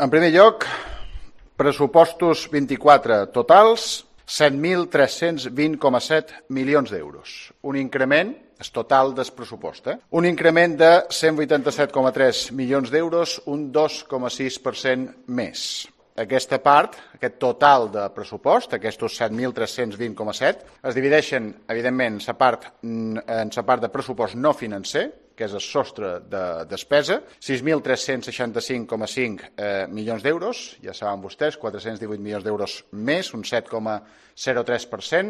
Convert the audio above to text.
En primer lloc, pressupostos 24 totals, 7.320,7 milions d'euros. Un increment, és total del pressupost, un increment de 187,3 milions d'euros, un 2,6% més. Aquesta part, aquest total de pressupost, aquests 7.320,7, es divideixen, evidentment, en la part de pressupost no financer, que és el sostre de despesa, 6.365,5 milions d'euros, ja saben vostès, 418 milions d'euros més, un 7,03%,